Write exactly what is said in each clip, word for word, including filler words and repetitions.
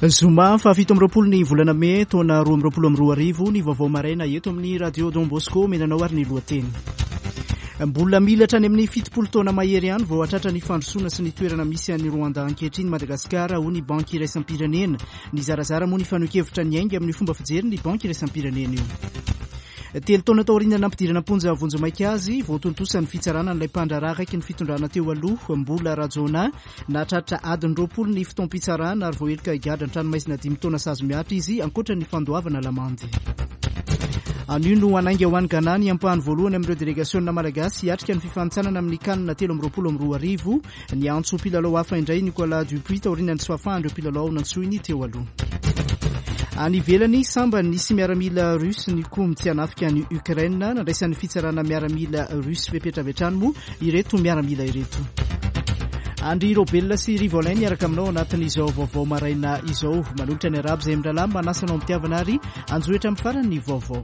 Zoma fahafito amby roapolo ny volana mey taona roa amby roapolo amby roa arivo ny vaovao maraina eto amin'ny Radio Don Bosco. Menanao ary ny lohateny. Mbola mila hatrany amin'ny fitopolo taona mahery ihany vao hatratra ny fandrosoana sy ny toerana misy an'i Rwanda ankehitriny Madagasikara, hoy ny Banky iraisam-pirenena. Nizarazara moa ny fanehoan-kevitra niainga amin'ny fomba fijery ny Banky iraisam-pirenena io. Telo taona taoriana nampidirana am-ponja vonjimaika azy, voatontosa ny fitsarana an'ilay mpandraharaha akaiky ny fitondrana teo aloha, Mbola Rajaonah. Nahatratra adiny roapolo ny fotoam-pitsarana ary voaheloka higadra an-tranomaizina dimy taona sazy mihatra izy, ankoatra ny fandoavana lamandy. Anio no hanainga ho any Ghana ny ampahany voalohany amin'ireo delegasiona malagasy hiatrika ny fifanintsanana amin'ny CAN telo amby roapolo amby roa arivo. Niantso mpilalao hafa indray Nicolas Dupuis taorian'ny tsy fahafahan'ireo mpilalao nantsoiny teo aloha. Any ivelany, sambany nisy miaramila russe nikomy tsy hanafika any Ukraine. Nandraisan'ny fitsarana miaramila russe fepetra avy hatrany moa ireto miaramila ireto. Andry Robelina sy Rivolin miaraka aminao anatin'izao vaovao maraina izao. Manolotra ny arabo izay mirahalahy manasa anao am-pitiavana ary anjohitra amin'ny farany ny vaovao.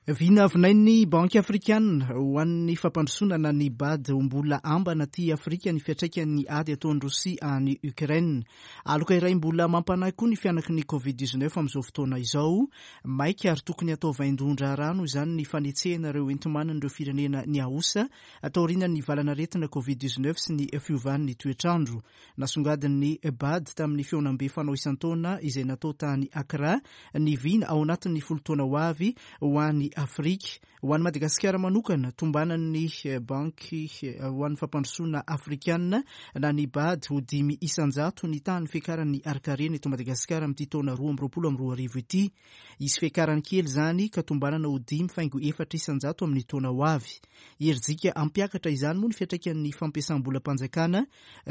Vinavinain'ny Banky Afrikanina ho an'ny fampandrosoana na ny B A D ho mbola ambana aty Afrika ny fiantraikan'ny ady ataon'i Rosia any Ukraine. Aloka iray mbola mampanahy koa ny fianaky ny Covid dix-neuf amin'izao fotoana izao. Maika ary tokony hatao vaindohan-draharaha noho izany ny fanetsehana ireo enti-manan'ireo firenena niaosa taorian'ny valanaretina Covid dix-neuf sy ny fiovan'ny toetrandro. Nasongadin'ny B A D tamin'ny fihaonambe fanao isan-taona izay natao tany Accra ny vina ao anatin'ny folo taona ho avy ho an'i Afrika. Ho an'i Madagasikara manokana, tombanan'ny Banky ho an'ny fampandrosoana afrikanina na ny B A D ho dimy isan-jato ny tahan'ny fiakaran'ny harin-karena eto Madagasikara amin'ity taona roa amby roapolo amby roa arivo ity. Hisy fiakarany kely izany ka tombanana ho dimy faingo efatra isan-jato amin'ny taona ho avy. Herijika hampiakatra izany moa ny fiantraikan'ny fampiasam-bolam-panjakana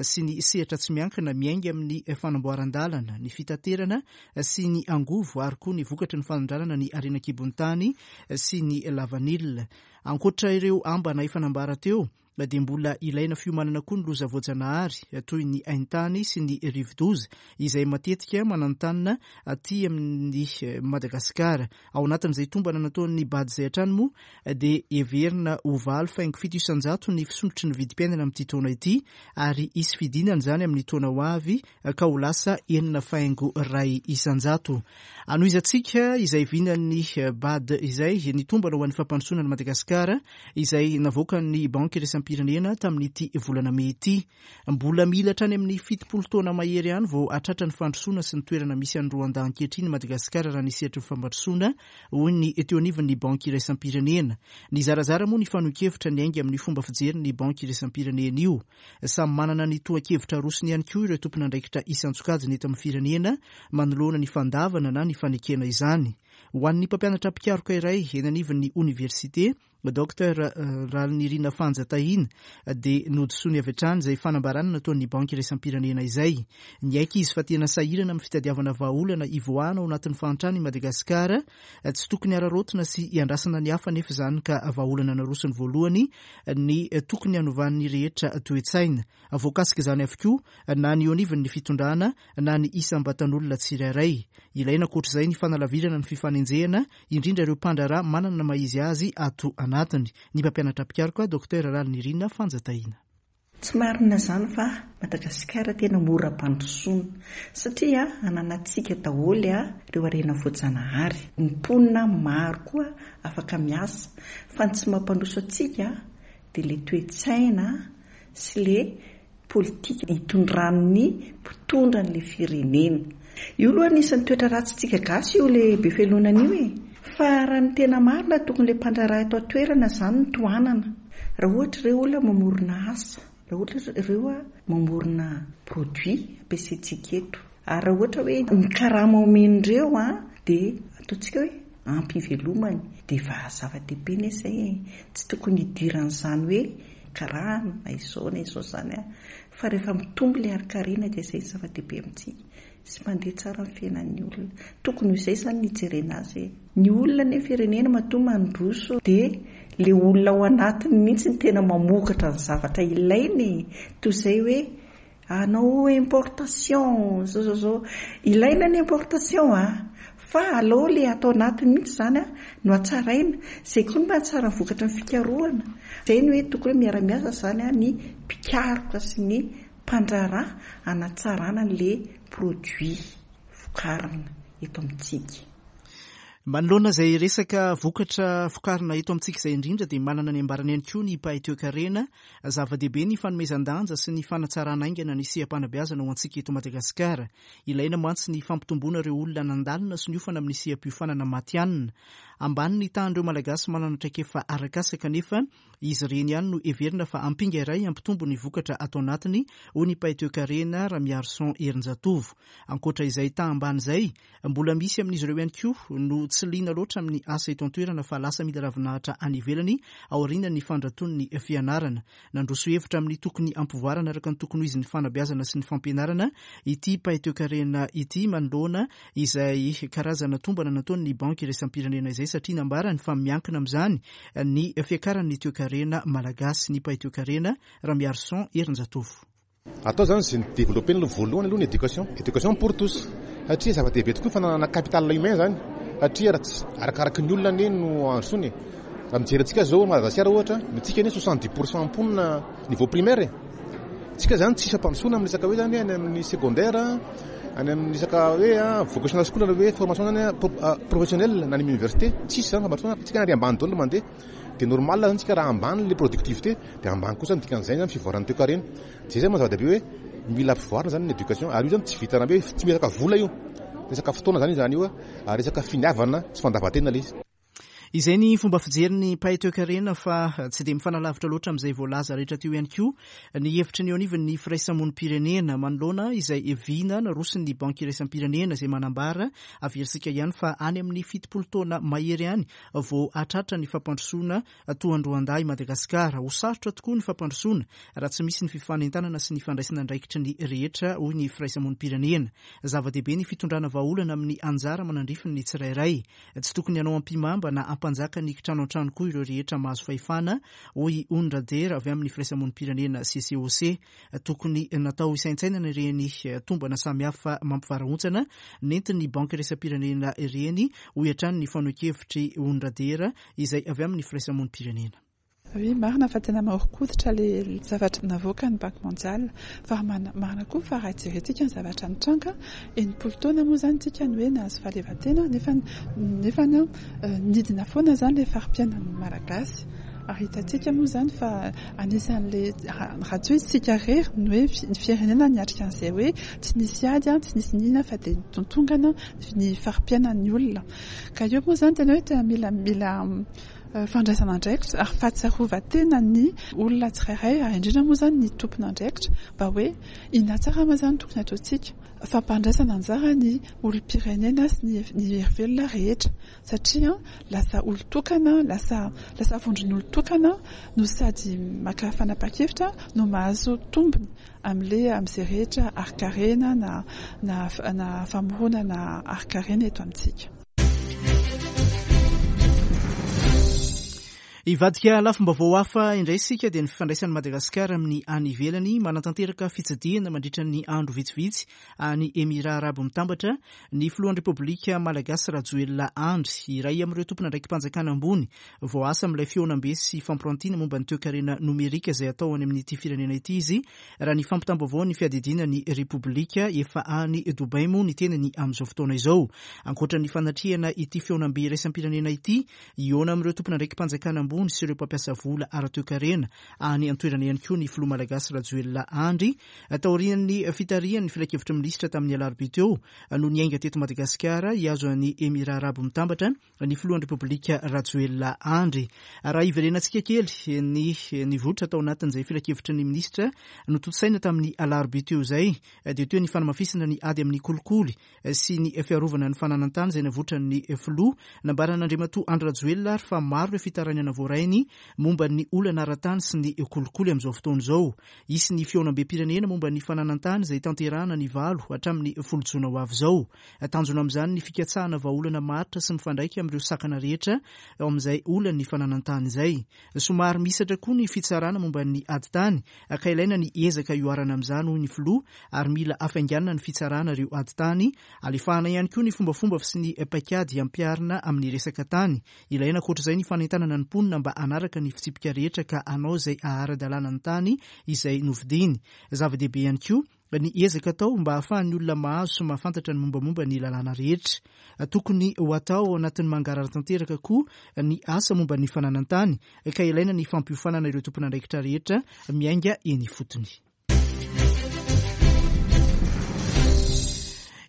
sy ny sehatra tsy miankina miainga amin'ny fanamboaran-dalana, ny fitaterana sy ny angovo ary koa ny vokatry ny fanondranana ny harena an-kibon'ny tany sy ny lavanila. Ankoatra ireo ambana efa nambara teo, dia mbola ilaina fiomanana koa ny loza voajanahary toy ny haintany sy ny rivodoza izay matetika mananontanona aty amin'ny Madagasikara. Ao anatin'izay tombana nataon'ny B A D izay hatrany moa dia heverina ho valo faingo fito isan-jato ny fisondrotry ny vidim-piainana amin'ity taona ity ary hisy fidinana izany amin'ny taona ho avy ka ho lasa enina faingo iray isan-jato. Anohizantsika izay vinan'ny B A D izay ny tombana ho an'ny fampandrosoana an'i Madagasikara izay navoakan'ny Banky iraisam-pirenena tamin'ity volana mey ity. Mbola mila hatrany amin'ny fitopolo taona mahery ihany vao hatratra ny fandrosoana sy ny toerana misy an'i Rwanda ankehitriny Madagasikara raha ny sehatry ny fampandrosoana, hoy ny teo anivon'ny Banky iraisam-pirenena. Nizarazara moa ny fanehoan-kevitra niainga amin'ny fomba fijery ny Banky iraisam-pirenena io. Samy manana ny tohan-kevitra arosony ihany koa ireo tompon'andraikitra isan-tsokajiny eto amin'ny firenena manoloana ny fandavana na ny fanekena izany. Ho an'ny mpampianatra mpikaroka iray eny anivon'ny oniversite, Docteur Ralinirina Fanjatahina, dia nodisoany avy hatrany izay fanambarana nataon'ny Banky iraisam-pirenena izay. Niaiky izy fa tena sahirana amin'ny fitadiavana vahaolana hivoahana ao anatin'ny fahantrana i Madagasikara. Tsy tokony hararaotina sy hiandrasana ny hafa nefa izany ka vahaolana narosony voalohany ny tokony hanovan'ny rehetra toe-tsaina. Voakasika izany avokoa na ny eo anivon'ny fitondrana na ny isam-batan'olona tsirairay. Ilaina ankoatr'izay ny fanalavirana ny fifanenjehana, indrindra ireo mpandraharaha manana ny maha izy azy ato anatiny. Ny mpampianatra mpikaroka Docteur Ralinirina Fanjatahina. Tsy marina izany fa Madagasikara tena mora ampandrosoana satria ananantsika daholo a ireo harena voajanahary. Ny mponina maro koa afaka miasa fa ny tsy mampandroso antsika dia ilay toe-tsaina sy ilay politika hitondran'ny mpitondra an'ilay firenena. Io aloha anisan'ny toetra ratsintsika gasy io ilay be fialonana io e. Fa raha ny tena marina tokony ilay mpandraharaha eto an-toerana izany no tohanana. Raha ohatra ireo olona mamorona asa, raha ohatra ireo mamorona produit ampiasaintsika eto. Ary raha ohatra hoe ny karama omen'ireo a dia ataontsika hoe ampy ivelomany dia efa zava-dehibe anie izay e. Tsy tokony hidiran'izany hoe karama na izao na izao izany a. Fa rehefa mitombo ilay harin-karena dia izay ny zava-dehibe amintsika sy mandeha tsara ny fiainan'ny olona. Tokony ho izay izany ny hijerena azy e. Ny olona anie firenena matoa mandroso dia ilay olona ao anatiny mihitsy ny tena mamokatra ny zavatra ilainy e. Toy izay hoe hanao importation, zao, zao, zao. Ilaina ny importation a, Fa aleo ilay atao anatiny mihitsy izany no hatsaraina. Izay koa no mahatsara ny vokatry ny fikarohana. Izay no hoe tokony hoe miara-miasa izany ny mpikaroka sy ny mpandraharaha hanatsarana an'ilay produit vokarina eto amintsika. Manoloana izay resaka vokatra vokarina eto amintsika izay indrindra dia manana ny ambarany ihany koa ny mpahay toekarena. Zava-dehibe ny fanomezan-danja sy ny fanatsarana haingana ny seha-panabeazana ho antsika eto Madagasikara. Ilaina mantsy ny fampitomboana ireo olona nandalina sy niofana amin'ny seha-piofanana matihanina. Ambany ny tahan'ireo Malagasy manana traikefa arak'asa kanefa izy ireny ihany no heverina fa ampinga iray hampitombo ny vokatra ato anatiny, hoy ny mpahay toekarena Ramiarison Herinjatovo. Ankoatra izay taha ambany izay, mbola misy amin'izy ireo ihany koa no tsy liana loatra amin'ny asa eto an-toerana fa lasa mila ravinahitra any ivelany aorian'ny fandraton'ny fianarana. Nandroso hevitra amin'ny tokony hampivoarana araka ny tokony ho izy ny fanabeazana sy ny fampianarana ity mpahay toekarena ity manoloana izay karazana tombana nataon'ny banky iraisam-pirenena izay satria nambarany fa miankina amin'izany ny fiakaran'ny toekarena malagasy. Ny mpahay toekarena Ramiarison Herinjatovo. Atao zany izay ni-développer aloha voalohany aloha ny éducation, éducation pour tous, satria zava-dehibe tokoa ny fananana capital humain zany, satria raha tsy arakaraky ny olona anie no androsoana e. Raha mijery antsika zao Madagasikara ohatra, antsika anie soixante-dix pour cent mponina niveau primaire e. Tsika zany tsisy fampandrosoana amin'ny resaka hoe zany any amin'ny secondaire, any amin'ny resaka hoe vocational school na hoe formation zany professionnelle na any amin'ny université, tsisy zany fampandrosoana, tsika ary ambany daholo mandeha. Dia normal zany tsika raha ambany le productivité dia ambany kosa ny dikan'izay zany fivoaran'ny toekarena. Zay zany maha-zava-dehibe hoe mila ampivoarina zany ny éducation, ary io zany tsy vitana hoe tsy resaka vola io, resaka fotoana zany izany io, ary resaka finiavana sy fandavan-tena ilay izy. Izay ny fomba fijerin'ny mpahay toekarena fa tsy dia mifanalavitra loatra amin'izay voalaza rehetra teo ihany koa ny hevitry ny eo anivon'ny firaisamonim-pirenena manoloana izay vina narosin'ny banky iraisam-pirenena izay manambara averitsika ihany fa any amin'ny fitopolo taona mahery any vao hatratra ny fampandrosoana toa an-dRoanda i Madagasikara. Ho sarotra tokoa ny fampandrosoana raha tsy misy ny fifanentanana sy ny fandraisana andraikitry ny rehetra, hoy ny firaisamonim-pirenena. Zava-dehibe ny fitondrana vahaolana amin'ny anjara manandrify ny tsirairay. Tsy tokony hanao ampimamba na ampanjaka ny kitrano an-trano koa ireo rehetra mahazo fahefana, hoy Ony Radera avy amin'ny firaisamonim-pirenena C C O C. Tokony natao isaintsainana ireny tombana samihafa mampivarahontsana nentin'ny banky iraisam-pirenena ireny, hoy hatrany ny fanehoan-kevitry Ony Radera izay avy amin'ny firaisamonim-pirenena. Oui, marina fa tena maharokoditra le zavatra navoaka ny Banque mondiale, fa marina koa fa raha jerentsika ny zavatra nitranga enimpolo taona moa zany tsika ny hoe nahazo fahaleovantena, nefa nefa nidina foana zany le fari-piainan'ny Malagasy. Ary hitantsika moa zany fa anisan'le raha tsy hoe isika irery ny hoe ny firenena niatrika an'izay hoe tsy nisy ady, tsy nisy nina fa dia nitontongana ny fari-piainan'ny olona. Ka eo moa zany tena hoe tena mila mila fandraisana andraikitra ary fahatsiarovan-tena ny olona tsirairay, ary indrindra moa zany ny tompon'andraikitra mba hoe inona tsara moa zany tokony ataontsika. Fampandraisana anjara ny olom-pirenena sy ny ny herivelona rehetra, satria lasa olon-tokana, lasa lasa vondron'olon-tokana no sady maka fanapahan-kevitra no mahazo tombony amin'ilay amin'izay rehetra harin-karena na na na famoronana harin-karena eto amintsika. Hivadika lafim-baovao hafa indray isika dia ny fifandraisan'i Madagasikara amin'ny any ivelany. Manatanteraka fitsidihana mandritra ny andro vitsivitsy any Emirà Arabo Mitambatra ny filohan'ny Repoblika Malagasy Rajoelina Andry, iray amin'ireo tompon'andraiki-panjakana ambony voaasa amin'ilay fihaonambe sy fampirantiana momba ny toekarena nomerika izay atao any amin'ity firenena ity izy, raha ny fampitam-baovao ny fiadidiana ny Repoblika. Efa any Dubai moa ny tenany amin'izao fotoana izao. Ankoatra ny fanatrehana ity fihaonambe iraisam-pirenena ity, hihaona amin'ireo tompon'andraiki-panjakana ambony sy ireo mpampiasa vola ara-toekarena any an-toerana ihany koa ny filoha malagasy Rajoelina Andry. Taorian'ny fitarihan'ny filankevitry ny minisitra tamin'ny alarobia teo no niainga teto Madagasikara hihazo an'i Emirà Arabo Mitambatra ny filohan'ny Repoblika Rajoelina Andry. Raha hiverenantsika kely ny nivoitra tao anatin'izay filankevitry ny minisitra notontosaina tamin'ny alarobia teo izay, dia teo ny fanamafisana ny ady amin'ny kolikoly sy ny fiarovana ny fananan-tany izay navoitran'ny filoha. Nambaran'Andriamatoa Andry Rajoelina ary fa maro ireo fitarainana voaray voarainy momba ny olana ara-tany sy ny kolikoly amin'izao fotoana izao. Hisy ny fihaonambem-pirenena momba ny fananan-tany izay tanterahana ny valo hatramin'ny folo jona ho avy izao. Tanjona amin'izany ny fikatsahana vahaolana maharitra sy mifandraika amin'ireo sakana rehetra ao amin'izay olan'ny fananan-tany izay. Somary mihisatra koa ny fitsarana momba ny ady tany ka ilaina ny ezaka ioharana amin'izany hoy ny filoha, ary mila hafainganina ny fitsarana ireo ady tany. Alefahana ihany koa ny fombafomba sy ny paikady ampiharina amin'ny resaka tany. Ilaina ankoatr'izay ny fanentanana ny mponina mba hanaraka ny fitsipika rehetra ka hanao izay ahara-dalàna ny tany izay novidiany. Zava-dehibe ihany koa ny ezaka atao mba hahafahan'ny olona mahazo sy mahafantatra ny mombamomba ny lalàna rehetra. Tokony ho atao ao anatin'ny mangarahara tanteraka koa ny asa momba ny fananan-tany ka ilaina ny fampiofanana ireo tompon'andraikitra rehetra miainga eny ifotony.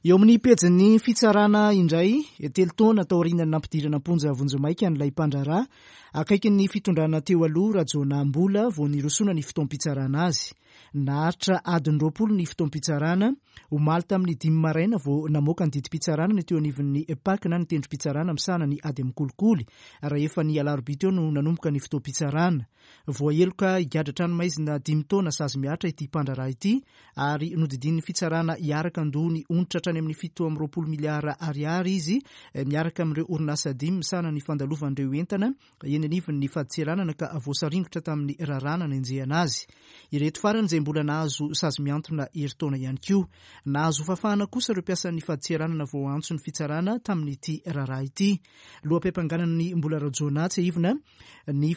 Eo amin'ny pejin'ny fitsarana indray, telo taona taorian'ny nampidirana am-ponja vonjimaika an'ilay mpandraharaha akaikin'ny fitondrana teo aloha Rajaonah Mbola vao nirosoana ny fotoam-pitsarana azy. Naharitra adiny roapolo ny fotoam-pitsarana. Omaly tamin'ny dimy maraina vao namoaka ny didim-pitsarana ny teo anivon'ny P A C na ny tendrom-pitsarana misahana ny ady amin'ny kolikoly, raha efa ny alarobia teo no nanomboka ny fotoam-pitsarana. Voaheloka higadra tranomaizina dimy taona sazy mihatra ity mpandraharaha ity, ary nodidian'ny fitsarana hiaraka handoa ny onitra hatrany amin'ny fito amby roapolo miliara ariary izy miaraka amin'ireo orinasa dimy misahana ny fandalovan'ireo entana eny anivon'ny fadintseranana ka voasaringotra tamin'ny raharaha nanenjehana azy. Ireto farany izay mbola nahazo sazy mihantona herintaona ihany koa. Nahazo fahafahana kosa ireo mpiasan'ny fadintseranana voaantso ny fitsarana tamin'ity raharaha ity. Loham-piampanganana ny Mbola Rajaonah tsiahivina ny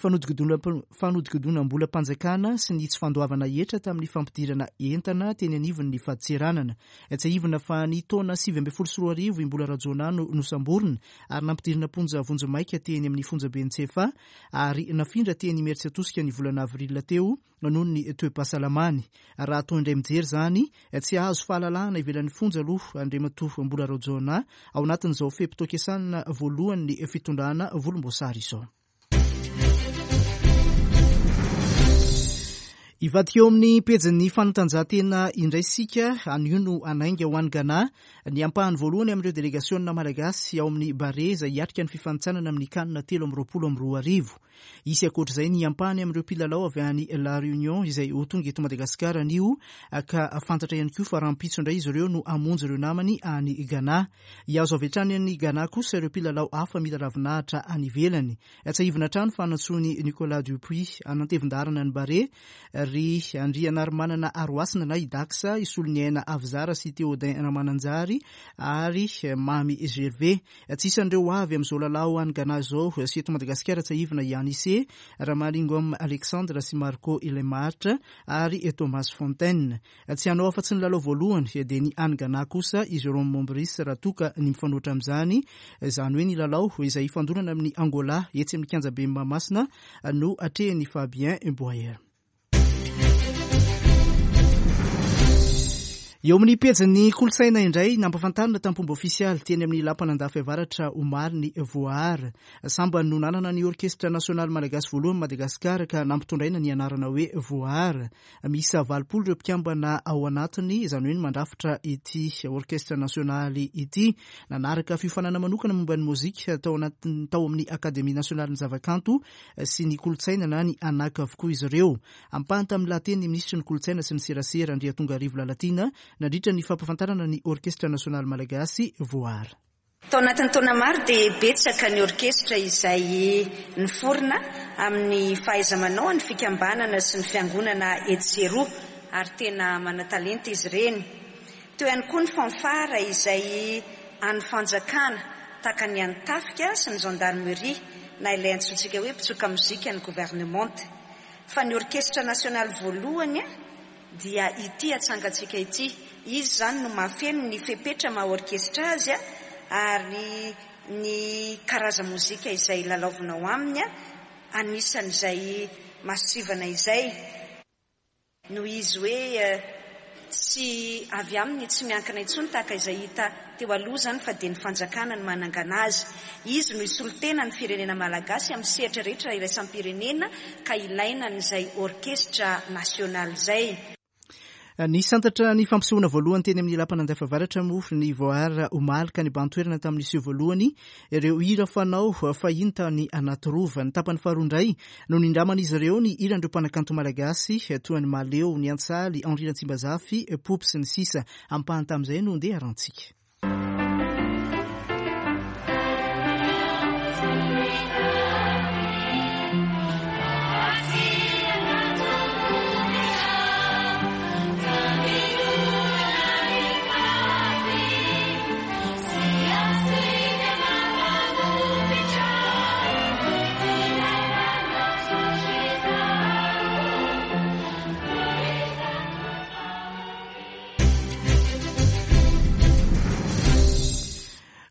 fanodikodinam-bolam-panjakana sy ny tsy fandoavana hetra tamin'ny fampidirana entana teny anivon'ny fadintseranana. Tsiahivina fa ny taona sivy ambin'ny folo sy roa arivo i Mbola Rajaonah no nosamborina ary nampidirina am-ponja vonjimaika teny amin'ny fonjaben'i Tsiafahy, ary nafindra teny Imerintsiatosika ny volana avril teo noho ny toe-pahasalamany. Raha atao indray mijery izany, tsy hahazo fahalalahana ivelan'ny fonja aloha Andriamatoa Mbola Rajaonah ao anatin'izao fe-potoam-piasana voalohan'ny fitondrana volomboasary izao. Hivadika eo amin'ny pejin'ny fanatanjahantena indray isika. Anio no hanainga ho any Ghana ny ampahany voalohany amin'ireo delegasiona malagasy ao amin'ny Barea izay hiatrika ny fifanintsanana amin'ny CAN telo amby roapolo amby roa arivo. Hisy ankoatr'izay ny ampahany amin'ireo mpilalao avy any La Réunion izay ho tonga eto Madagasikara anio, ka fantatra ihany koa fa rahampitso indray izy ireo no hamonjy ireo namany any Ghana. Hihazo avy hatrany any Ghana kosa ireo mpilalao hafa mila ravinahitra any ivelany. Tsiahivina hatrany fa nantsoin'i Nicolas Dupuis hanantevin-daharana ny Barea ry Andrianarimanana Aroasina na i Dax, Isoloniaina Avizara sy Théodin Ramananjary ary Mamy Gervais. Tsy isan'ireo avy amin'izao lalao any Ghana izao sy eto Madagasikara tsiahivina i Anise, Ramalingom Alexandre sy Marco Ilay-Maharitra ary Thomas Fontaine. Tsy hanao afa-tsy ny lalao voalohany dia ny any Ghana kosa i Jérôme Mombris raha toa ka ny mifanohitra amin'izany, izany hoe ny lalao izay hifandonana amin'ny Angola etsy amin'ny kianjabe Mahamasina no atrehin'i Fabien Boyer. Eo amin'ny pejin'ny kolontsaina indray, nampahafantarina tamin'ny fomba ofisialy teny amin'ny Lapan'Andafy Avaratra omaly ny Voahary. Sambany no nanana ny orkestra nasionaly malagasy voalohany Madagasikara ka nampitondraina ny anarana hoe Voahary. Miisa valopolo ireo mpikambana ao anatiny, izany hoe ny mandrafitra ity orkestra nasionaly ity. Nanaraka fiofanana manokana momba ny mozika tao anatin-, tao amin'ny Akademia nasionalin'ny zavakanto sy ny kolontsaina na ny ANAC avokoa izy ireo. Ampahany tamin'ny lahateny ny minisitry ny kolontsaina sy ny serasera Andriatongarivo Lalatiana nandritra ny fampahafantarana ny orkestra nasionaly malagasy Voahary. Tao anatin'ny taona maro dia betsaka ny orkestra izay niforona amin'ny fahaiza-manao ny fikambanana sy ny fiangonana etsy sy eroa, ary tena manan-talenta izy ireny. Teo ihany koa ny fanfara izay an'ny fanjakana tahaka ny an'ny tafika sy ny gendarmerie na ilay antsointsika hoe mpitsoka mozika ny governemanta. Fa ny orkestra nasionaly voalohany dia ity atsangantsika ity. Izy izany no mahafeno ny fepetra maha orkestra azy ary ny karaza-mozika izay lalaovina ao aminy anisan'izay masivana izay. Noho izy hoe tsy avy aminy tsy miankina intsony tahaka izay hita teo aloha izany fa dia ny fanjakana no manangana azy. Izy no hisolo-tena ny firenena malagasy amin'ny sehatra rehetra iraisam-pirenena ka ilaina an'izay orkestra nasionaly izay. Nisantatra ny fampisehoana voalohany teny amin'ny lapan'Andafiavaratra moa ny Voara omaly ka nibahan-toerana tamin'ny seho voalohany ireo hira fanao fahiny tany anaty rova. Ny tapany faharoa indray no nindraman'izy ireo ny hiran'ireo mpanakanto malagasy toa ny Mahaleo, ny Antsaly, Henri Ratsimbazafy, Poopy sy ny sisa. Ampahany tamin'izay no ndeha harantsika.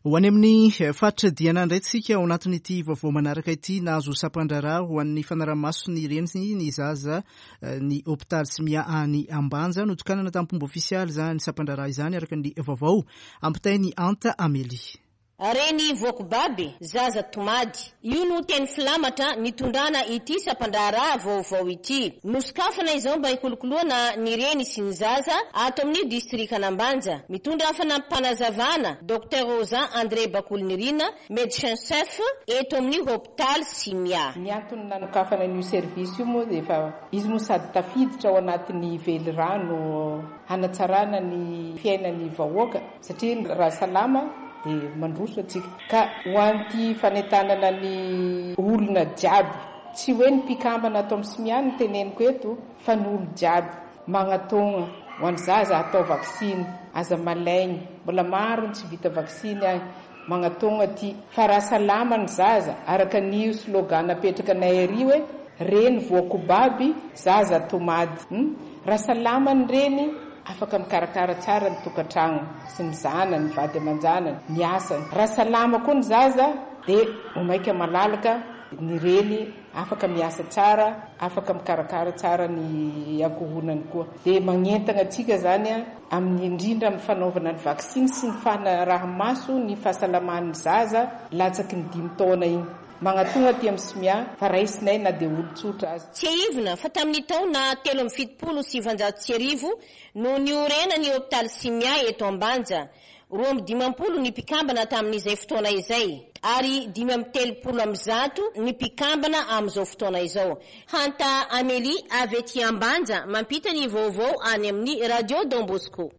Ho any amin'ny faritra Diana indray tsika ao anatin'ity vaovao manaraka ity. Nahazo sampan-draharaha ho an'ny fanarahamaso ny reny ny zaza ny hôpitaly Simia any Ambanja. Notokanana tamin'ny fomba ofisialy izany sampan-draharaha izany araka ny vaovao ampitain'i Anta Amélie. Reny voakobaby, zaza tomady. Io no teny filamatra nitondrana ity sampan-draharaha vaovao ity. Nosokafana izao mba hikolokoloana ny reny sy ny zaza ato amin'ny distrikan'Ambanja. Mitondra fanampim-panazavana Docteur Rosa André Bakolinirina, médecin chef eto amin'ny hôpitaly Simia. Ny antony nanokafana an'io service io moa dia efa izy moa sady tafiditra ao anatin'ny velirano hanatsarana ny fiainan'ny vahoaka satria raha salama dia mandroso antsika. Ka ho an'ity fanentanana ny olona jiaby, tsy hoe ny mpikambana ato amin'ny Simia no teneniko eto fa ny olo jiaby magnatogna ho an'ny zaza atao vaksiny, aza malaigny, mbola maro ny tsy vita vaksiny any, magnatogna ty fa raha salama ny zaza araka ny slogan napetraka anay ary hoe reny voakobaby, zaza tomady. Hmm? Raha salama ny reny afaka mikarakara tsara ny tokantrano sy ny zanany, ny vady aman-janany, ny asany. Raha salama koa ny zaza dia ho maika malalaka ny reny, afaka miasa tsara, afaka mikarakara tsara ny ankohonany koa. Dia magnentana antsika zany a amin'ny indrindra amin'ny fanaovana ny vaksiny sy ny fanaraha-maso ny fahasalaman'ny zaza latsaky ny dimy taona iny. Magnatogna aty amin'ny Simia fa raisinay na dia olon-tsotra aza. Tsiahivina fa tamin'ny taona telo amby fitopolo sy sivanjato sy arivo no niorena ny hôpitaly Simia eto Ambanja. Roa amby dimampolo ny mpikambana tamin'izay fotoana izay ary dimy amby telopolo amby zato ny mpikambana amin'izao fotoana izao. Hanta Amélie avy ety Ambanja mampita ny vaovao any amin'ny Radio Don Bosco.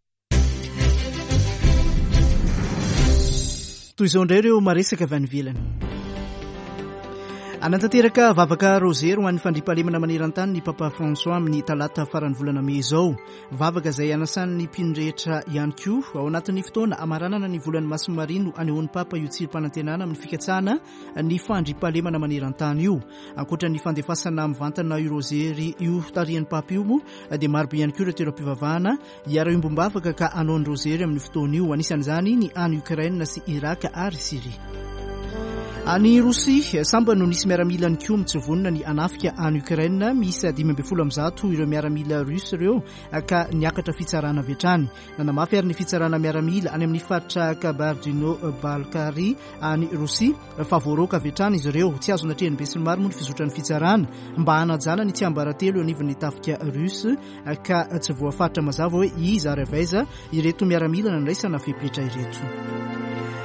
Toy izao indray ireo maresaka avy any ivelany. Anatanteraka vavaka rozery ho an'ny fandriampahalemana maneran-tany ny Papa François amin'ny talata faran'ny volana mey izao. Vavaka izay anasan'ny mpino rehetra ihany koa ao anatin'ny fotoana amaranana ny volan'ny Masina Maria no anehoan'ny Papa io tsirim-panantenana amin'ny fikatsahana ny fandriampahalemana maneran-tany io. Ankoatra ny fandefasana mivantana io rozery io tarihan'ny Papa io moa dia marobe ihany koa ireo toeram-pivavahana hiara-iombom-bavaka ka hanao ny rozery amin'ny fotoana io. Anisan'izany ny any Ukraine sy Irak ary Syria. Any Rosia, samba no nisy miaramila nikomy tsy vonona ny hanafika any Ukraine. Miisa dimy ambin'ny folo amby zato ireo miaramila russe ireo ka niakatra fitsarana avy hatrany. Nanamafy ary ny fitsarana miaramila any amin'ny faritra Kabardino-Balkary any Rosia fa voaroaka avy hatrany izy ireo. Tsy azo natrehin'ny besinimaro moa ny fizotran'ny fitsarana mba hanajana ny tsiambaratelo eo anivon'ny tafika russe ka tsy voafaritra mazava hoe iza ary avy aiza ireto miaramila nandraisana fepetra ireto.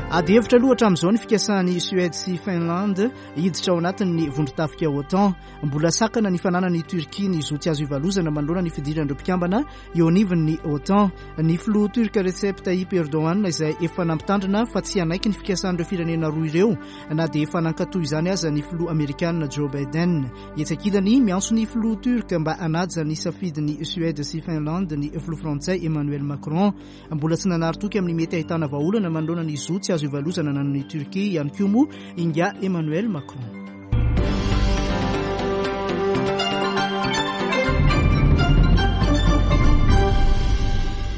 Ady hevitra aloha hatramin'izao ny fikasan'i Suède sy Finlande hiditra ao anatin'ny vondron-tafika OTAN. Mbola sakana ny fananan'i Turquie ny zo tsy azo ivalozana manoloana ny fidiran'ireo mpikambana eo anivon'ny OTAN. Ny filoha turc Recep Tayyip Erdogan izay efa nampitandrina fa tsy hanaiky ny fikasan'ireo firenena roa ireo na dia efa nankatoa izany aza ny filoha amerikana Joe Biden. Etsy ankilany miantso ny filoha turc mba hanaja ny safidin'i Suède sy Finlande ny filoha frantsay Emmanuel Macron. Mbola tsy nanary toky amin'ny mety ahitana vahaolana manoloana ny zo tsy azo ivalozana ananan'i Turquie ihany koa moa ingahy Emmanuel Macron.